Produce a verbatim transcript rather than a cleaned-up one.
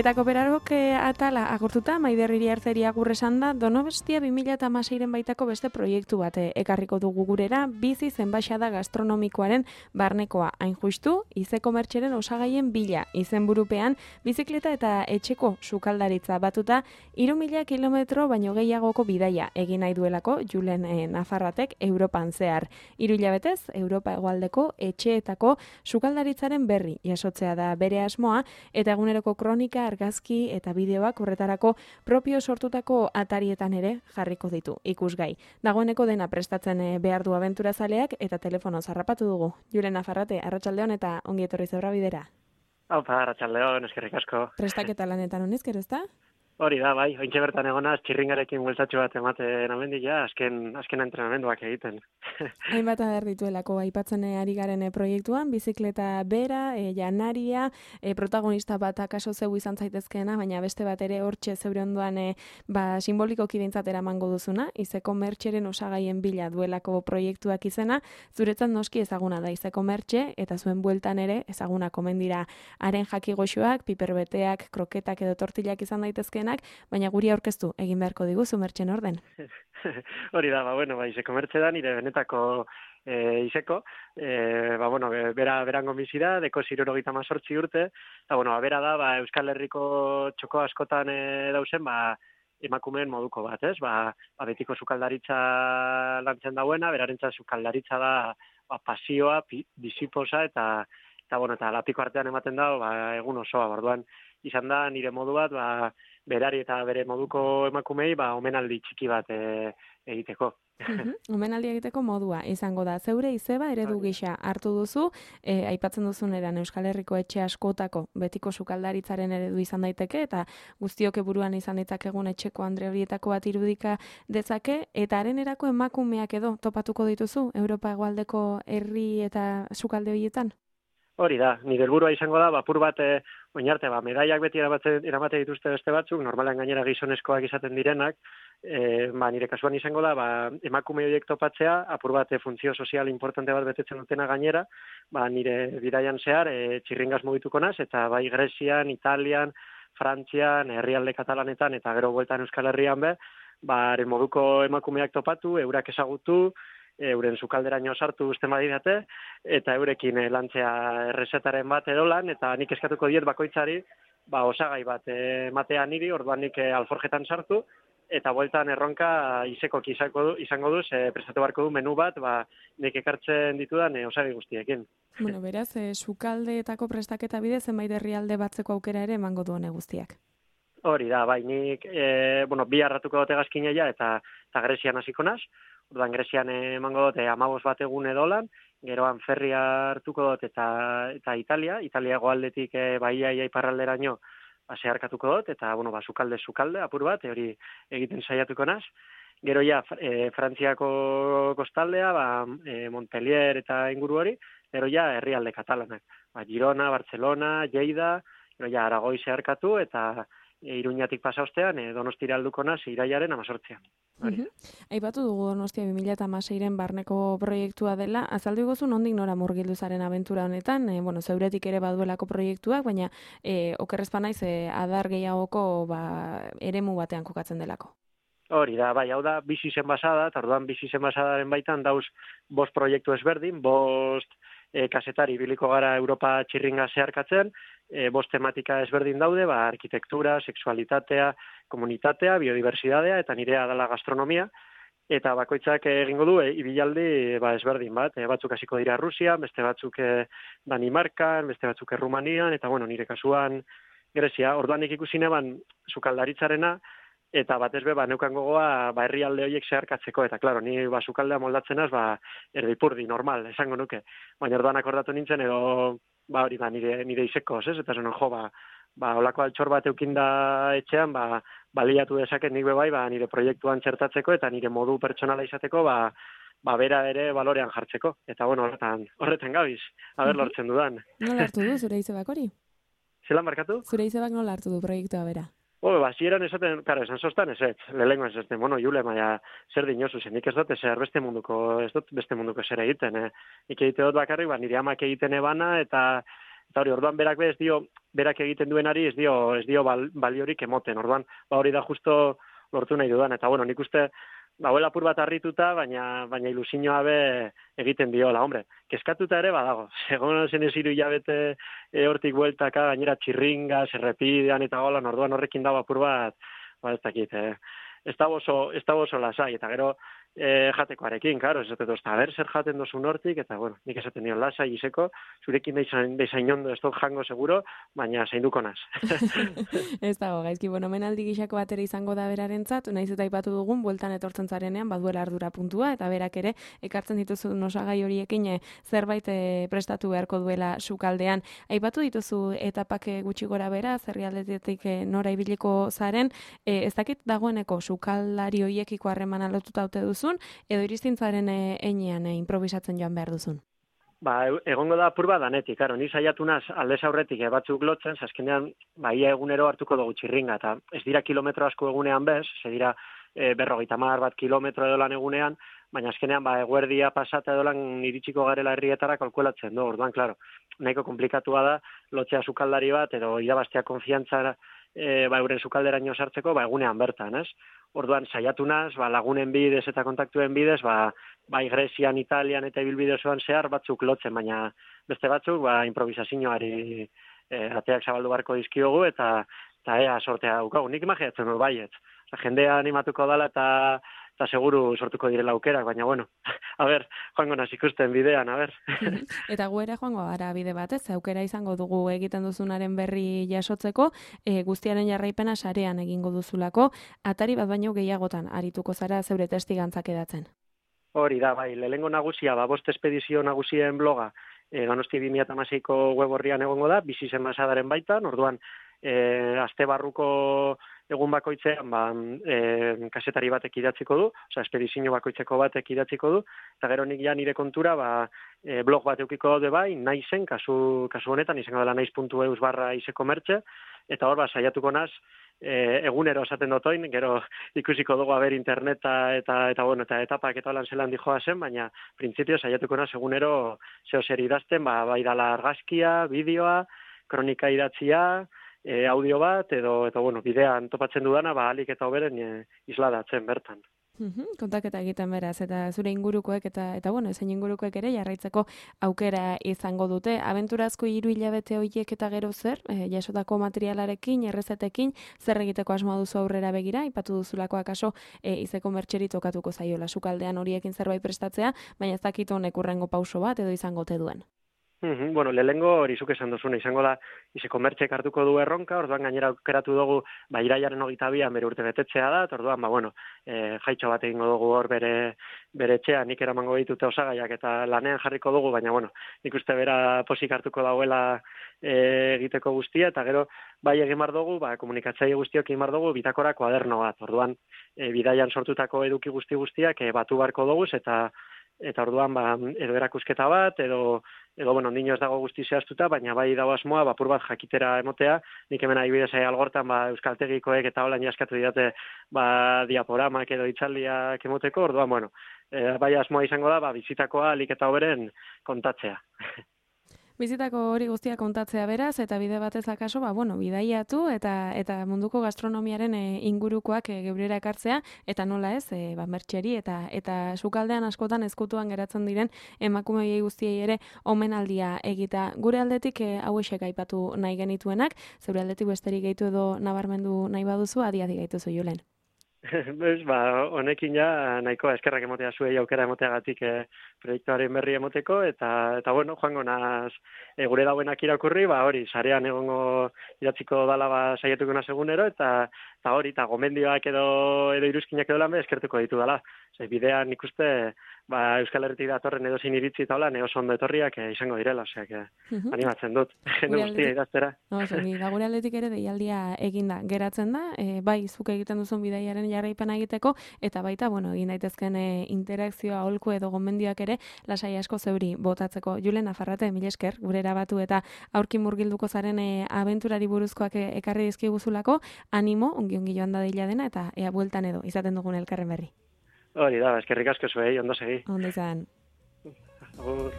Eta kooperarok atala agurtuta, Maider Iriarteri agur esan da, Donostia bi mila hamaseiren baitako beste proiektu bat ekarriko dugu gurera, bizi zenbaixada gastronomikoaren barnekoa. Hain justu, izeko mertxeren osagaien bila, izenburupean, bizikleta eta etxeko sukaldaritza batuta, hiru mila kilometro baino gehiagoko bidaia egin nahi duelako Julen eh, Nafarratek Europan zehar. Hiru hilabetez, Europa hegoaldeko etxeetako sukaldaritzaren berri jasotzea da bere asmoa, eta eguneroko kronika, argazki eta bideoak horretarako propio sortutako atarietan ere jarriko ditu ikusgai. Dagoeneko dena prestatzen behar du abenturazaleak eta telefono zarrapatu dugu. Julen Nafarrate, arratsaldeon eta ongi etorri Zebrabidera. bidera. Haupa, arratsaldeon, eskerrik asko. Prestaketa lanetan honezkero, ezta? Hori da, bai, ointxe bertan egonaz, txirringarekin bueltatxo bat ematen amendik, ja, azken, azken entrenamenduak egiten. Hainbat ader dituelako aipatzen ari garen proiektuan, bizikleta bera, e, janaria, e, protagonista bat akaso zeu izan zaitezkeena, baina beste bat ere hortxe zeure ondoan e, ba, simbolikoki behintzat eramango duzuna, izeko mertxeren osagaien bila duelako proiektuak izena, zuretzat noski ezaguna da izeko mertxe, eta zuen bueltan ere ezaguna komen dira haren jaki goxoak, piperbeteak, kroketak edo tortillak izan daitezkeenak, baina guri aurkeztu egin beharko diguzu mertxen orden. Hori da, ba, bueno, ba, izeko mertxe da, nire benetako e, izeko, e, ba, bueno, bera, berango bizi da, deko zirurogeita mazortzi urte, eta, bueno, ba, bera da, ba, Euskal Herriko txoko askotan e, dauzen, ba, emakumeen moduko bat, ez? Ba, ba betiko sukaldaritza lantzen dauena, berarentzat sukaldaritza da, ba, pasioa, pi, biziposa, eta, eta, bueno, eta lapiko artean ematen da, ba, egun osoa, orduan, izan da, nire modu bat, ba, berari eta bere moduko emakumei, ba, omenaldi txiki bat e, egiteko. Uhum, omenaldi egiteko modua izango da. Zeure izeba eredu gisa hartu duzu, e, aipatzen duzun eran Euskal Herriko etxe askotako betiko sukaldaritzaren eredu izan daiteke, eta guztioke buruan izan ditzakegun etxeko andre horietako bat irudika dezake, eta haren erako emakumeak edo topatuko dituzu Europa hegoaldeko herri eta sukalde horietan? Hori da, nire helburua izango da, bapur bat, e, oinarte, ba, medaiak beti eramaten, eramaten dituzte beste batzuk, normalan gainera gizonezkoak izaten direnak, e, ba, nire kasuan izango da, ba, emakume horiek topatzea, apur bat, e, funtzio sozial importante bat betetzen dutena gainera, ba, nire bidaian zehar, e, txirringaz mugituko naz, eta bai Grezian, Italian, Frantzian, herrialde katalanetan, eta gero bueltan Euskal Herrian be, ba, haren moduko emakumeak topatu, eurak ezagutu, euren sukalderaino sartu uste badidate, eta eurekin e, lantzea errezetaren bat edo lan, eta nik eskatuko diet bakoitzari, ba, osagai bat ematea niri, orduan nik e, alforjetan sartu, eta bueltan erronka izekok izango du, izango du, e, prestatu beharko du menu bat, ba, nik ekartzen ditudan e, osagai guztiekin. Bueno, beraz, e, sukaldeetako prestaketa bidez, zenbait herrialde batzeko aukera ere emango du hone guztiak. Hori da, bai, nik, e, bueno, bi harratuko dute gazkineia, eta, eta Grezian hasiko naz. Orduan Grezian emango dut amabos bat egun edolan, geroan ferria hartuko dut eta, eta Italia, Italia goaldetik e, baia iparralderaino ba, zeharkatuko dut, eta bueno, ba, sukalde sukalde apur bat, hori egiten saiatuko naz. Gero ja, e, Frantziako kostaldea, ba, e, Montpellier eta inguru hori, gero ja, herrialde katalanak. Ba, Girona, Barcelona, Lleida, gero ja, Aragoi zeharkatu, eta E, Iruñatik pasa ostean, e, Donostira alduko naz, iraiaren amazortzian. Uh-huh. Aipatu dugu Donostia bi mila hamaseiren barneko proiektua dela, azaldu gozu nondik nora murgildu zaren abentura honetan, e, bueno, zeuretik ere baduelako proiektuak, baina e, okerrezpa naiz e, adar gehiagoko ba, eremu batean kokatzen delako. Hori da, bai, hau da, bizi zen basada, eta orduan bizi zen basadaren baitan dauz bost proiektu ezberdin, bost e, kasetari biliko gara Europa txirringa zeharkatzen, e, bost tematika ezberdin daude, ba, arkitektura, sexualitatea, komunitatea, biodiversidadea, eta nirea dela gastronomia, eta bakoitzak egingo du, e, ibilaldi ba, ezberdin bat, e, batzuk hasiko dira Rusian, beste batzuk e, Danimarkan, beste batzuk Errumanian, eta bueno, nire kasuan Grezia, orduan ikusi neban sukaldaritzarena, eta batez be, ba, neukan gogoa, ba, herrialde horiek zeharkatzeko, eta, klaro, ni, ba, sukaldea moldatzenaz, ba, erdipurdi, normal, esango nuke. Baina orduan akordatu nintzen, edo, ba, hori, ba, nire, nire izekoz, ez? Eta zonon, jo, ba, ba, olako altxor bat eukinda etxean, ba, baliatu dezaket nik bebai, ba, nire proiektuan txertatzeko, eta nire modu pertsonala izateko, ba, ba, bera ere balorean jartzeko. Eta, bueno, horretan, horretan gabiz, haber lortzen dudan. Nola hartu du, zure izebak hori? Zelan markatu? Zure izebak nola hartu du proiektua bera? Obe, ba, zieran esaten, karo, esan sostan ez ez, lehenko ez esaten, bueno, Jule, maia, zer dinosu, zen, nik ez dut ezer beste munduko, ez dut beste munduko zer egiten, eh? Nik egite dut bakarrik, ba, nire amak egiten ebana, eta Eta hori, orduan berak be ez dio, berak egiten duenari ez dio, ez dio bal, baliorik emoten, orduan, ba hori da justo lortu nahi dudan, eta bueno, nik uste, ba, huela apur bat harrituta, baina, baina ilusioa be egiten diola, hombre, kezkatuta ere badago, segon zen ez hiru hilabete e, hortik bueltaka, gainera txirringa, zerrepidean eta golan, orduan horrekin dago apur bat, ba, ez dakit, eh, ez da oso, ez da oso lasai, eta gero, E, jatekoarekin, karo, ez dut, a ber, zer jaten dozun hortik, eta, bueno, nik esaten dion lasai izeko, zurekin bezain ondo ez dut jango seguro, baina zainduko naz. Ez dago, gaizki, bueno, menaldi gixako batera izango da berarentzat, naiz eta aipatu dugun, bueltan etortzen zarenean, baduela ardura puntua, eta berak ere, ekartzen dituzu osagai horiekin e, zerbait e, prestatu beharko duela sukaldean. Aipatu dituzu etapak gutxi gora bera, zerrialdetik e, nora ibiliko zaren, e, ez dakit dagoeneko sukaldari hoiekiko harremana lotuta haute duzu, edo iristintzaren einean e, improvisatzen joan behar duzun? Ba, egongo da apur bat danetik, karo, ni saiatu naz aldez aurretik e, batzuk lotzen, zaskenean, ba, ia egunero hartuko dugu txirringa, eta ez dira kilometro asko egunean bez, ze dira e, berrogeita hamar bat kilometro edo lan egunean, baina azkenean, ba, eguerdia pasata edo lan iritsiko garela herrietara kalkulatzen du, orduan, klaro, nahiko komplikatua da, lotzea sukaldari bat, edo irabaztea konfiantzara, e, ba, euren sukalderaino sartzeko, ba, egunean bertan, ez? Orduan, saiatu naz, ba, lagunen bidez eta kontaktuen bidez, ba, bai Grezian, Italian eta ibilbide osoan zehar batzuk lotzen, baina beste batzuk, ba, improvisazioari e, ateak zabaldu barko dizkiogu, eta, eta ea sortea daukagu. Nik imagiatzen dut baiet. Jendea animatuko dala eta eta seguru sortuko direla aukerak, baina bueno, a ber, joango naz ikusten bidean, a ber. Eta gu ere joango gara bide batez, aukera izango dugu egiten duzunaren berri jasotzeko, e, guztiaren jarraipena sarean egingo duzulako, atari bat baino gehiagotan arituko zara zeure testigantzak edatzen. Hori da, bai, lehengo nagusia, ba, bost espedizio nagusien bloga, e, Donosti bi mila hamaseiko web orrian egongo da, bizi zen masadaren baitan, orduan, e, aste barruko egun bakoitzean, ba, e, kasetari batek idatziko du, oza, espedizio bakoitzeko batek idatziko du, eta gero nik ja nire kontura, ba, e, blog bat eukiko daude bai, naizen, kasu, kasu honetan, izango dela naiz puntu eus barra izeko mertxe, eta hor, ba, saiatuko naz, e, egunero esaten dotoin, gero ikusiko dugu haber interneta eta, eta, bueno, eta etapak eta lan zelan dijoa zen, baina printzipio saiatuko naz egunero zeo zer idazten, ba, bai dala argazkia, bideoa, kronika idatzia, E, audio bat, edo, eta bueno, bidean topatzen dudana, ba, alik eta hoberen e, isladatzen bertan. Uhum, kontaketa egiten beraz, eta zure ingurukoek, eta, eta bueno, zein ingurukoek ere jarraitzeko aukera izango dute. Abenturazko hiru hilabete horiek eta gero zer, e, jasotako materialarekin, errezetekin, zer egiteko asmoa duzu aurrera begira, ipatu duzulako akaso e, izeko mertxeri tokatuko zaiola sukaldean horiekin zerbait prestatzea, baina ez dakit honek urrengo pauso bat edo izango te duen. Uhum, bueno, lehengo hori zuk esan duzuna, izango da, izeko mertxek hartuko du erronka, orduan gainera aukeratu dugu, ba, iraiaren hogeita bian bere urte betetzea da, eta orduan, ba, bueno, e, jaitxo bat egingo dugu hor bere, bere etxea, nik eramango ditute osagaiak eta lanean jarriko dugu, baina, bueno, nik uste bera posik hartuko dauela e, egiteko guztia, eta gero, bai egin bar dugu, ba, komunikatzaile guztiok egin bar dugu, bitakora kuaderno bat, orduan, e, bidaian sortutako eduki guzti guztiak e, batu barko dugu, eta eta orduan, ba, edo erakusketa bat, edo, edo bueno, ondino ez dago guzti zehaztuta, baina bai dago asmoa, bapur bat jakitera emotea, nik hemen adibidez algortan, ba, euskaltegikoek eta holan jaskatu didate, ba, diaporamak edo itzaldiak emoteko, orduan, bueno, e, bai asmoa izango da, ba, bizitakoa alik eta hoberen kontatzea. Bizitako hori guztia kontatzea beraz, eta bide batez akaso, ba, bueno, bidaiatu eta eta munduko gastronomiaren e, ingurukoak e, geurera ekartzea, eta nola ez, e, ba, mertxeri eta eta sukaldean askotan ezkutuan geratzen diren emakumei guztiei ere omenaldia egita. Gure aldetik e, hauexek aipatu nahi genituenak, zeure aldetik besterik gehitu edo nabarmendu nahi baduzu, adi-adi gaituzu Julen. Bez, ba, honekin ja, nahikoa eskerrak emotea zuei aukera emoteagatik e, proiektuaren berri emoteko, eta, eta bueno, joango naz, e, gure dauenak irakurri, ba, hori, sarean egongo idatziko dala, ba, saietuko naz egunero, eta, eta hori, eta gomendioak edo, edo iruzkinak edo lan be, eskertuko ditu dala. Zer, bidean ikuste, ba, Euskal Herritik datorren edo zin iritzi eta hola, neo ondo etorriak e, izango direla, osea, que uh-huh. animatzen dut, jende guztia idaztera. No, zongi, ba, gure aldetik ere deialdia eginda geratzen da, e, bai, zuk egiten duzun bidaiaren jarraipena egiteko, eta baita, bueno, egin daitezken e, interakzioa aholku edo gomendioak ere, lasai asko zeuri botatzeko. Julen, Nafarrate, mil esker, gure erabatu eta aurki murgilduko zaren e, abenturari buruzkoak e, ekarri dizkiguzulako, animo, ongi-ongi joan da deila dena, eta ea bueltan edo, izaten dugun elkarren berri. Hori da, eskerrik asko zuei, ondo segi. Ondo izan. Agur.